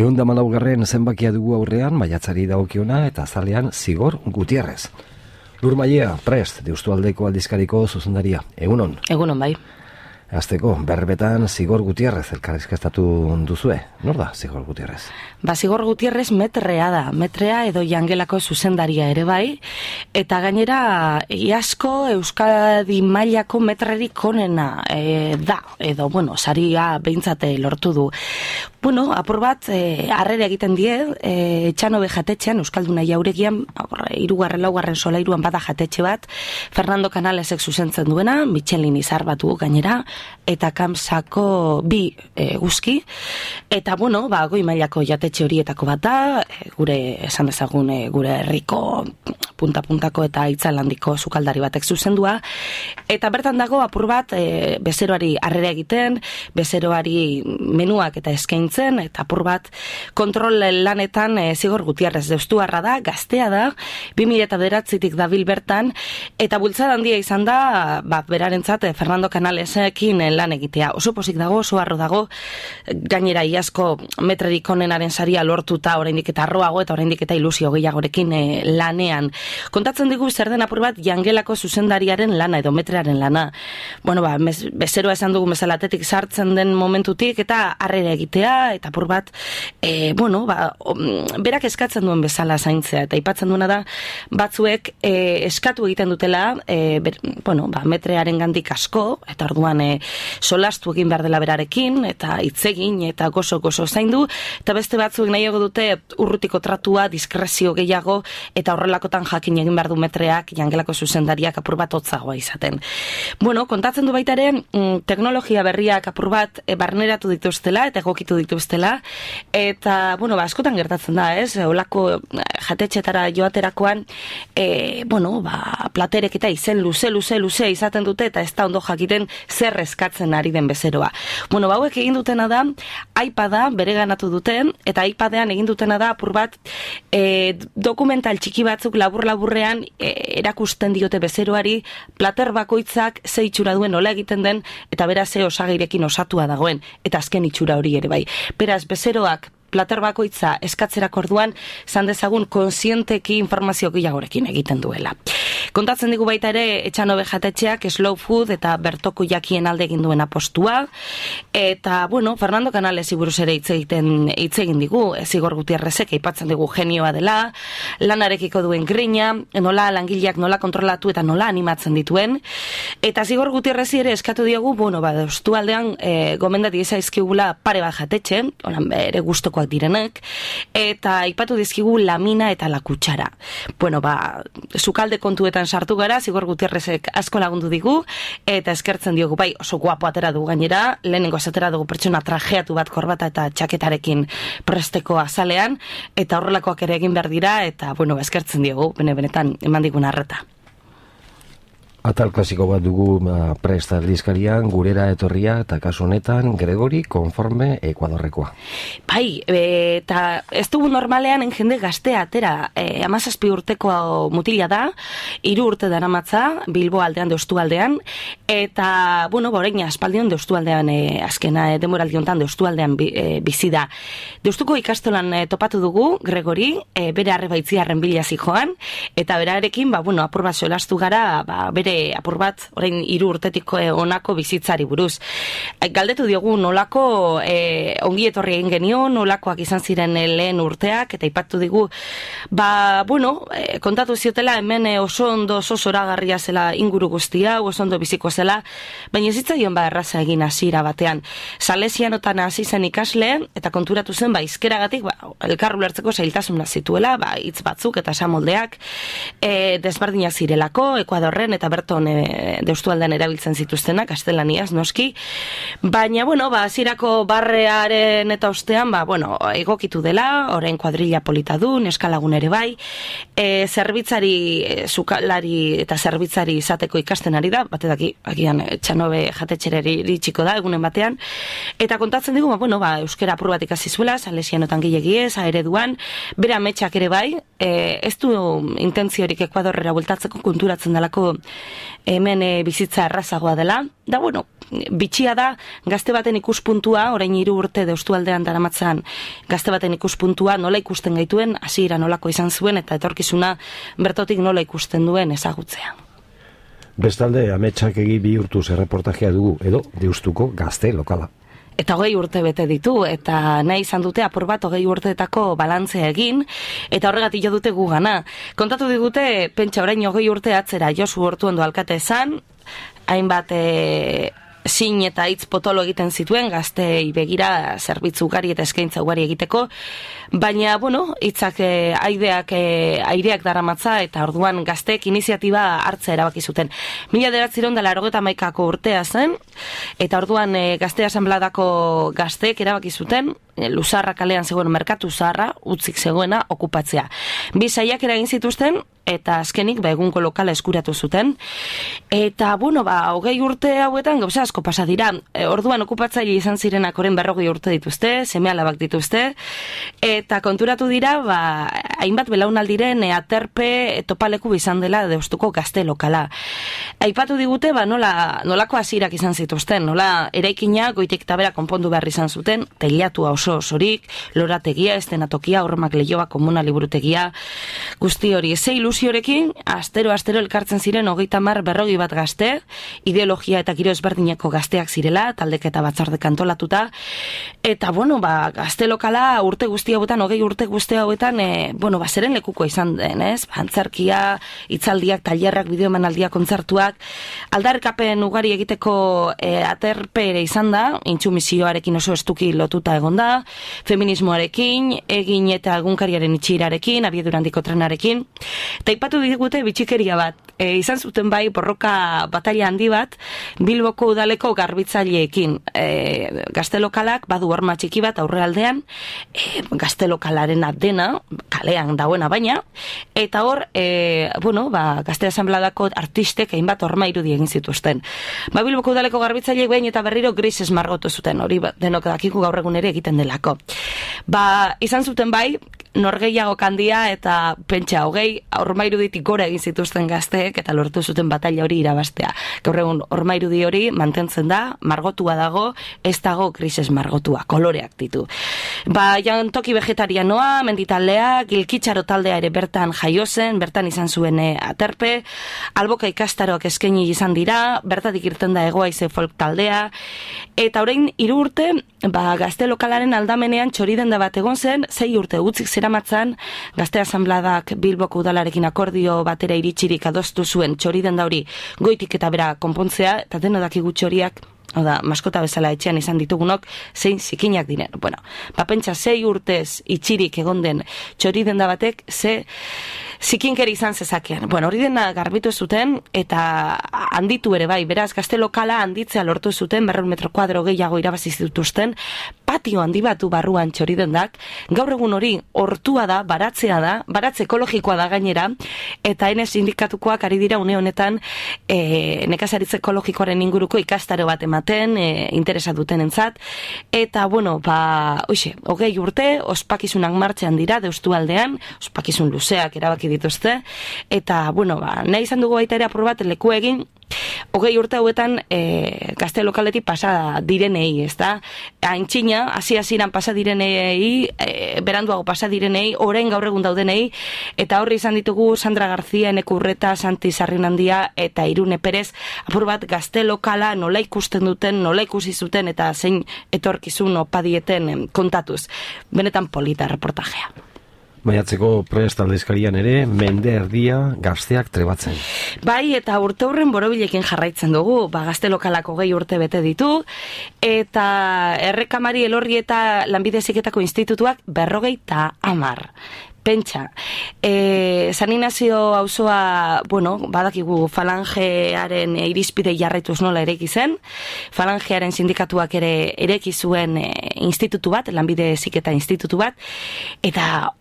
114. zenbakia dugu aurrean, maiatzari dagokiona eta azalean Zigor Gutierrez. Lur Mailea, prest, Deustualdeko aldizkariko zuzendaria. Egunon? Egunon, bai. Azteko, berbetan Zigor Gutierrez elkarrizkestatu duzue. Nor da Zigor Gutierrez? Zigor Gutierrez metrea da. Metrea edo jangelako zuzendaria ere bai. Eta gainera, iasko Euskadi mailako metrerik onena da. Edo, saria behintzate lortu du. Apur bat, harrera egiten die, Etxanobe jatetxean, Euskalduna jauregian, 3. laugarren solairuan bada jatetxe bat, Fernando Canalesek zuzentzen duena, Michelin izar batu gainera, eta Kamsako 2 guzki, eta goi mailako jatetxe horietako bat da, gure, esan dezagun, gure herriko punta-puntako eta itzalandiko sukaldari batek zuzendua, eta bertan dago apur bat bezeroari harrera egiten, bezeroari menuak eta eskaintzen, eta apur bat kontrol lanetan Zigor Gutierrez deustuarra da, gaztea da, 2009tik dabil bertan, eta bultzada handia izan da, berarentzat Fernando Canalesekin lan egitea. Oso pozik dago, oso harro dago, gainera iazko metrerik onenaren saria lortuta oraindik eta arroago eta oraindik eta ilusio gehiagorekin lanean. Kontatzen digu zer den apur bat jangelako zuzendariaren lana edo metrearen lana. Bezeroa esan dugu bezalatetik sartzen den momentutik eta harrera egitea eta apur bat berak eskatzen duen bezala zaintzea eta aipatzen duena da batzuek eskatu egiten dutela metrearen gandik asko eta orduan solastu egin behar dela berarekin eta hitzegin eta gozo zaindu eta beste batzuek nahiago dute urrutiko tratua, diskrezio gehiago eta horrelakotan jakin egin behar du metreak jangelako zuzendariak apur bat hotzagoa izaten. Kontatzen du baita ere teknologia berriak apur bat barneratu dituztela eta egokitu dituztela eta askotan gertatzen da, ez? Olako jatetxetara joaterakoan platerek eta izen luze izaten dute eta ez da ondo jakiten zer eskatzen ari den bezeroa. Hauek egin dutena da iPada bereganatu duten eta iPadean egin dutena da apur bat dokumental txiki batzuk labur-laburrean erakusten diote bezeroari plater bakoitzak ze itxura duen nola egiten den eta beraz ze osagairekin osatua dagoen eta azken itxura hori ere bai. Beraz bezeroak plater bakoitza eskatzerak orduan zan dezagun konsienteki informazio gehiagorekin egiten duela. Kontatzen digu baita ere Etxanobe jatetxeak slow food eta bertoko jakien alde egin duen apostua eta Fernando Canalesi buruz ere hitz egin digu, Zigor Gutierrezek aipatzen digu genioa dela, lanarekiko duen grina, nola langileak nola kontrolatu eta nola animatzen dituen eta Zigor Gutierrezi ere eskatu diogu deustualdean gomendati zaizkigula pare bat jatetxe, ere gustokoak direnek, eta aipatu dizkigu lamina eta la kutsara. Sukalde kontuetan sartu gara, Zigor Gutierrezek asko lagundu digu, eta eskertzen diogu, oso guapo atera dugu gainera, lehenengo atera dugu pertsona trajeatu bat korbata eta txaketarekin presteko azalean, eta horrelakoak ere egin behar dira, eta eskertzen diogu, benetan eman digun arreta. Atal klasiko bat dugu prest aldizkarian, gurera etorria eta kasu honetan Gregori konforme Ekuadorrekoa. Eta ez dugu normalean jende gaztea atera, 17 urteko mutila da, 3 urte daramatza Bilbo aldean, Deustualdean, eta, orain aspaldion Deustualdean, azkena demoraldi hontan Deustualdean bizi da. Deustuko ikastolan topatu dugu Gregori, bere arrebaitziarren bila zijoan, eta berarekin, apur bat solastu gara, bere apur bat, orain 3 urtetik honako bizitzari buruz. Galdetu diogu nolako ongi etorri egin genion, nolakoak izan ziren lehen urteak, eta aipatu digu, kontatu ziotela hemen oso ondo oso zoragarria zela inguru guztia, oso ondo biziko zela, baina ez zitzaion erraza egin hasiera batean. Salesianotan hasi zen ikasle, eta konturatu zen, izkeragatik, elkar ulertzeko zailtasuna zituela, hitz batzuk eta esamoldeak, desberdinak zirelako, Ekuadorren eta berton Deustualdean erabiltzen zituztenak, gaztelaniaz, noski. Baina, hasierako barrearen eta ostean, egokitu dela, orain kuadrilla polita du, neskalagun ere bai, zerbitzari, sukalari eta zerbitzari izateko ikasten ari da, batedaki, agian Etxanobe jatetxereri iritsiko da, egunen batean, eta kontatzen digu, euskera apur bat ikasi zuela, salesianotan gilegiez, ereduan, bere ametsak ere bai, ez du intentziorik Ekuadorrera bueltatzeko konturatzen delako hemen bizitza errazagoa dela, da bitxia da gazte baten ikuspuntua, orain 3 urte Deustualdean daramatzan gazte baten ikuspuntua nola ikusten gaituen, hasiera nolako izan zuen eta etorkizuna bertotik nola ikusten duen ezagutzea. Bestalde, ametsak egi bihurtuz erreportajea dugu, edo Deustuko gazte lokala. Eta 20 urte bete ditu, eta nahi izan dute apur bat 20 urteetako balantzea egin, eta horregatik jo dute gugana. Kontatu digute, pentsa orain 20 urte atzera Josu Ortuondo alkate esan, hainbat zin eta hitz potolo egiten zituen, gaztei begira zerbitzu ugari eta eskaintza ugari egiteko, baina, hitzak aireak daramatza, eta orduan gazteek iniziatiba hartzea erabaki zuten. 1991ko urtea zen, eta orduan Gazte Asanbladako gazteek erabaki zuten, Luzarra kalean zegoen merkatu zaharra, utzik zegoena okupatzea. 2 saiakera egin zituzten, eta azkenik egungo lokala eskuratu zuten. Eta, 20 urte hauetan gauza asko pasa dira. Orduan okupatzaile izan zirenak orain 40 urte dituzte, seme-alabak dituzte, eta konturatu dira, hainbat belaunaldiren aterpe topaleku izan dela Deustuko gazte lokala. Aipatu digute, nolako hasierak izan zituzten, nola eraikina goitik eta bera konpondu behar izan zuten, teilatua oso osorik, lorategia, estenatokia, hormak lehioa, komuna liburutegia, guzti hori. Ze ilusiorekin, astero elkartzen ziren 30-40 bat gazte, ideologia eta giro ezberdineko gazteak zirela, taldek eta batzordek antolatuta, eta, gazte lokala urte guzti hauetan, 20 urte guzti hauetan, zeren lekuko izan den, ez? Antzerkia, hitzaldiak, tailerrak, bideoemanaldiak, kontzertuak, aldarrikapen ugari egiteko aterpe ere izan da, intsumisioarekin oso estuki lotuta egon da, feminismoarekin, egin eta egunkariaren itxirarekin, abiedurandiko trenarekin, eta ipatu digute bitxikeria bat, izan zuten bai borroka bataila handi bat Bilboko udaleko garbitzaileekin. Gazte lokalak badu horma txiki bat aurrealdean, gazte lokalaren dena, kalean dagoena baina, eta hor, Gazte Asanbladako artistek hainbat horma irudi egin zituzten. Bilboko udaleko garbitzaileek behin eta berriro grises margotu zuten, hori denok dakiku gaur egun ere egiten delako. Izan zuten bai, norgeiago kandia eta pentsa 20 horma iruditik gora egin zituzten gazteek eta lortu zuten bataila hori irabaztea. Gaur egun horma irudi hori mantentzen da, margotua dago, ez dago grises margotua, koloreak ditu. Jantoki vegetarianoa, menditaldea, Gilkitxaro taldea ere bertan jaio zen, bertan izan zuen aterpe, Alboka ikastaroak eskaini izan dira, bertatik irten da Egoaize folk taldea, eta orain 3 urte, gazte lokalaren aldamenean txoridenda bat egon zen, 6 urte utzik zeramatzan, Gazte Asanbladak Bilboko udalarekin akordio batera iritsirik adostu zuen txoridenda hori goitik eta bera konpontzea, eta deno dakigu txoriak, maskota bezala etxean izan ditugunok, zein zikinak diren. Pentsa 6 urtez itxirik egon den txoridenda batek, ze zikinkeri izan zezakean. Hori dena garbitu zuten, eta handitu ere bai, beraz, gazte lokala handitzea lortu zuten, 200 metro kuadro gehiago irabazi zituzten, patio handi batu barruan txoridendak, gaur egun hori hortua da, baratzea da, baratze ekologikoa da gainera, eta ene sindikatukoak ari dira une honetan nekazaritze ekologikoaren inguruko ikastaro bat ematen, interesa duten entzat, eta, 20 urte, ospakizunak martxean dira, Deustualdean, ospakizun luzeak erabaki dituzte, eta, nahi izan dugu baita ere apur bat leku egin, 20 urte hauetan gazte lokaletik pasa direnei, ez da? Aintzina, hasi-hasiran pasa direnei, beranduago pasa direnei, orain gaur egun daudenei, eta horri izan ditugu Sandra Garzia, Eneko Urreta, Santi Sarrinandia eta Irune Perez, apur bat gazte lokala nola ikusten duten, nola ikusi zuten, eta zein etorkizun opadieten kontatuz. Benetan polita reportajea. Maiatzeko prest aldizkarian ere, mende erdia gazteak trebatzen. Bai, eta urte horren borobilekin jarraitzen dugu, gazte lokalako 20 urte bete ditu, eta Errekamari Elorri eta Lanbide Heziketako institutuak 50. Pentsa, San Inazio auzoa, badakigu falangearen irizpide jarraituz nola ereki zen, falangearen sindikatuak ere ereki zuen institutu bat, Lanbide Heziketa institutu bat, eta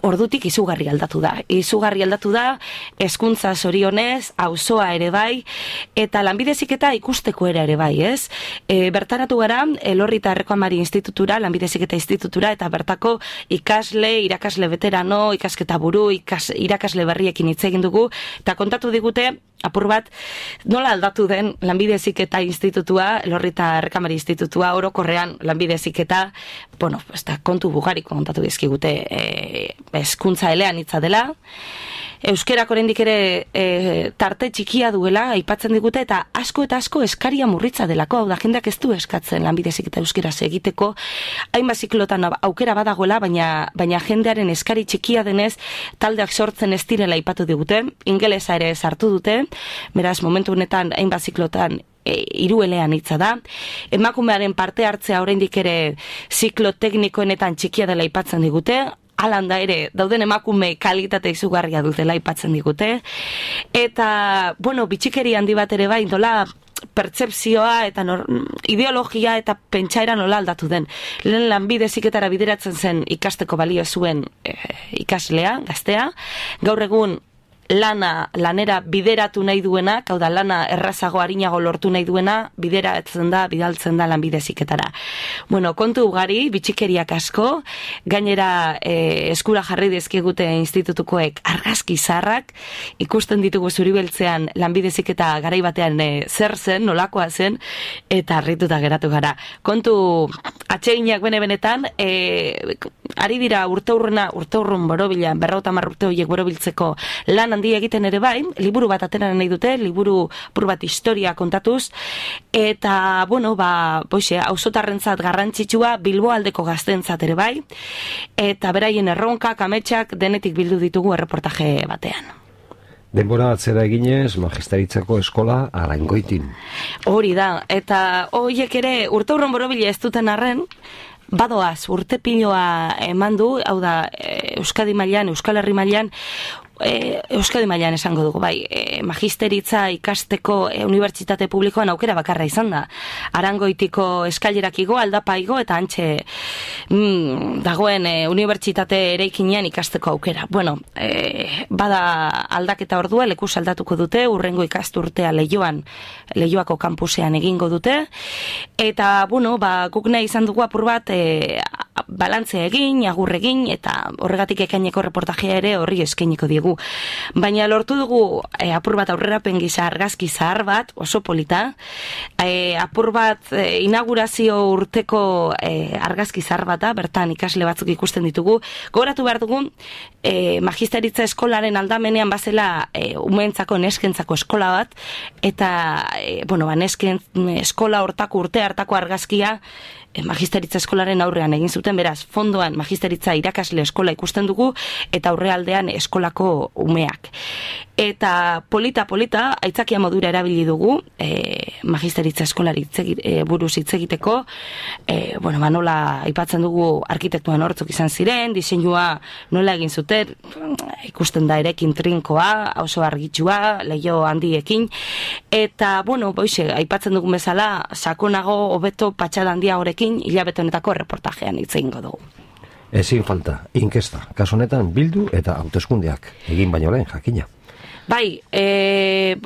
ordutik izugarri aldatu da. Izugarri aldatu da, hezkuntza zorionez, auzoa ere bai, eta Lanbide Heziketa ikusteko ere bai, ez? Bertaratu gara, Elorri eta Errekamari institutura, Lanbide Heziketa institutura, eta bertako ikasle, irakasle veteran plano, ikasketa buru, irakasle berriekin hitz egin dugu, eta kontatu digute, apur bat, nola aldatu den Lanbide Heziketa Institutua, Elorri eta Errekamari Institutua, orokorrean Lanbide Heziketa, bueno, kontu bugariko kontatu dizkigute, hezkuntza eleanitza dela, euskerak oraindik ere tarte txikia duela aipatzen digute, eta asko eskaria murritza delako, hau da jendeak ez du eskatzen Lanbide Heziketa euskeraz egiteko, hainbat ziklotan aukera badagoela, baina jendearen eskari txikia denez taldeak sortzen ez direla aipatu digute, ingelesa ere sartu dute, beraz momentu honetan hainbat ziklotan hiruelean hitza da. Emakumearen parte hartzea oraindik ere ziklo teknikoenetan txikia dela aipatzen digute, alanda ere dauden emakume kalitate izugarria dutela aipatzen digute. Eta, bueno, bitxikeri handi bat ere bai, dola pertsepzioa eta ideologia eta pentsaera nola aldatu den. Lehen Lanbide Heziketara bideratzen zen ikasteko balio zuen ikaslea, gaztea, gaur egun lanera bideratu nahi duena, hau da lana errazago arinago lortu nahi duena, bidaltzen da Lanbide Heziketara. Bueno, kontu ugari, bitxikeriak asko, gainera eskura jarri dizkigute institutukoek argazki zaharrak, ikusten ditugu zuribeltzean Lanbide Heziketa garai batean zer zen, nolakoa zen, eta harrituta geratu gara. Kontu atseginak benetan, ari dira urteurrun borobila, 50 urte horiek borobiltzeko lan handi egiten ere bai, liburu bat atera nahi dute, liburu pur bat historia kontatuz, eta, bueno, auzotarrentzat garrantzitsua, Bilboaldeko gaztentzat ere bai, eta beraien erronkak, ametsak, denetik bildu ditugu erreportaje batean. Denbora atzera eginez, Magistaritzako eskola Arangoitin. Hori da, eta horiek ere urteurron borobila ez duten arren, badoaz, urte piloa eman du, hau da, Euskadi mailan, Euskal Herri mailan, Euskadi mailan esango dugu, bai, magisteritza ikasteko unibertsitate publikoan aukera bakarra izan da. Arangoitiko eskailerak igo, aldapa igo, eta antxe dagoen unibertsitate eraikinean ikasteko aukera. Bueno, bada aldaketa ordua, lekuz aldatuko dute, urrengo ikasturtea Leioako kampusean egingo dute, eta, bueno, guk nahi izan dugu apur bat balantzea egin, agur egin, eta horregatik ekaineko reportajea ere horri eskainiko diegu. Baina lortu dugu apur bat aurrerapen gisa argazki zahar bat, oso polita, apur bat inaugurazio urteko argazki zahar bat da, bertan ikasle batzuk ikusten ditugu. Gogoratu behar dugu, magisteritza eskolaren aldamenean bazela umeentzako, neskentzako eskola bat, eta, nesken eskola hortako urte hartako argazkia magisteritza eskolaren aurrean egin zuten, beraz, fondoan magisteritza irakasle eskola ikusten dugu, eta aurrealdean eskolako umeak. Eta polita, aitzakia modura erabili dugu, magisteritza eskolari buruz hitz egiteko, nola aipatzen dugu arkitektuan hortzuk izan ziren, diseinua nola egin zuten, ikusten da erekin trinkoa, oso argitsua, Leio handiekin, eta, aipatzen dugu bezala, sakonago, hobeto, patxada handia horekin, hilabete honetako erreportajean hitz egingo dugu. Ezin falta, inkesta, kasu honetan bildu eta hauteskundeak, egin baino lehen, jakina. Bai,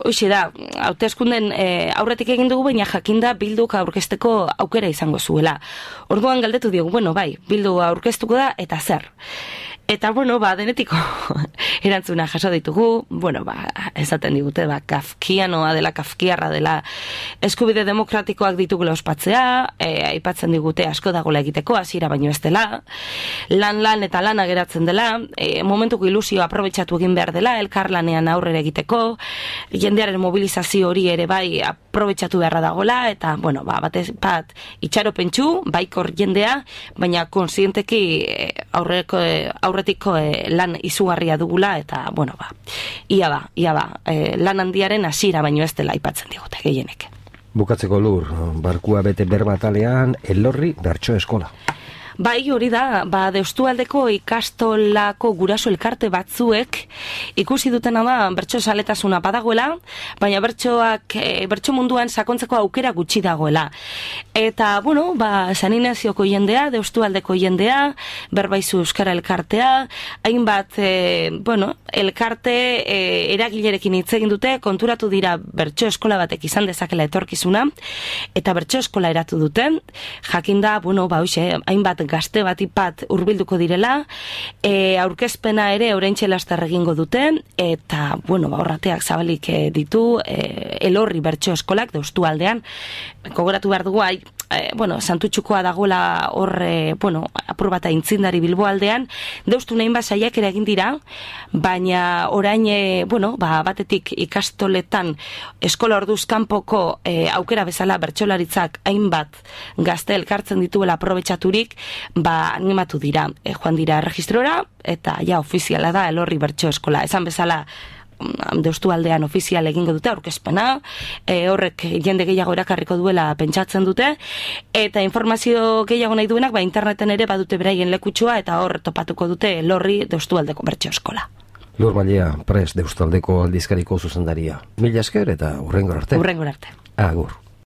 hoxe da, hauteskunden aurretik egin dugu, baina jakinda bilduk aurkezteko aukera izango zuela. Orduan galdetu diogu, bildu aurkeztuko da, eta zer? Eta, denetiko erantzuna jaso ditugu, esaten digute, kafkianoa dela, kafkiarra dela, eskubide demokratikoak ditugula ospatzea, aipatzen digute asko dagoela egiteko, hasiera baino ez dela, lan eta lana geratzen dela, momentuko ilusioa aprobetxatu egin behar dela, elkarlanean aurrera egiteko, jendearen mobilizazio hori ere bai aprobetxatu beharra dagoela, eta, batez bat itxaropentsu, baikor jendea, baina konsienteki aurretiko lan izugarria dugula, eta, ia ba, lan handiaren hasiera baino ez dela aipatzen digute, gehienek. Bukatzeko Lur, barkua bete berbatalean, Elorri bertso eskola. Bai, hori da, Deustualdeko ikastolako guraso elkarte batzuek ikusi dutena da bertso zaletasuna badagoela, baina bertso munduan sakontzeko aukera gutxi dagoela. Eta, Saninazioko jendea, Deustualdeko jendea, Berbaizu Euskara elkartea, hainbat, elkarte eragilerekin hitz egin dute, konturatu dira bertso eskola batek izan dezakela etorkizuna, eta bertso eskola eratu duten, jakinda, hainbat gazte batipat hurbilduko direla, aurkezpena ere oraintxe laster egingo duten, eta, horrateak zabalik ditu, Elorri bertso eskolak Deustu aldean, gogoratu behar dugu, Santutxukoa dagoela hor, apur bat aintzindari Bilbo aldean, Deustu nahin saiak ere egin dira, baina orain, batetik ikastoletan eskola orduz kanpoko aukera bezala bertsolaritzak hainbat gazte elkartzen dituela aprobetxaturik, animatu dira, joan dira registrora, eta ofiziala da Elorri bertso eskola. Esan bezala, Deustu aldean ofizial egingo dute aurkezpena, horrek jende gehiago erakarriko duela pentsatzen dute, eta informazio gehiago nahi duenak, interneten ere badute beraien lekutsua, eta hor topatuko dute Elorri Deustu aldeko bertso eskola. Lur Mailea, Prest Deustu aldeko aldizkariko zuzendaria. Mila esker eta hurrengor arte. Hurrengor arte. Agur.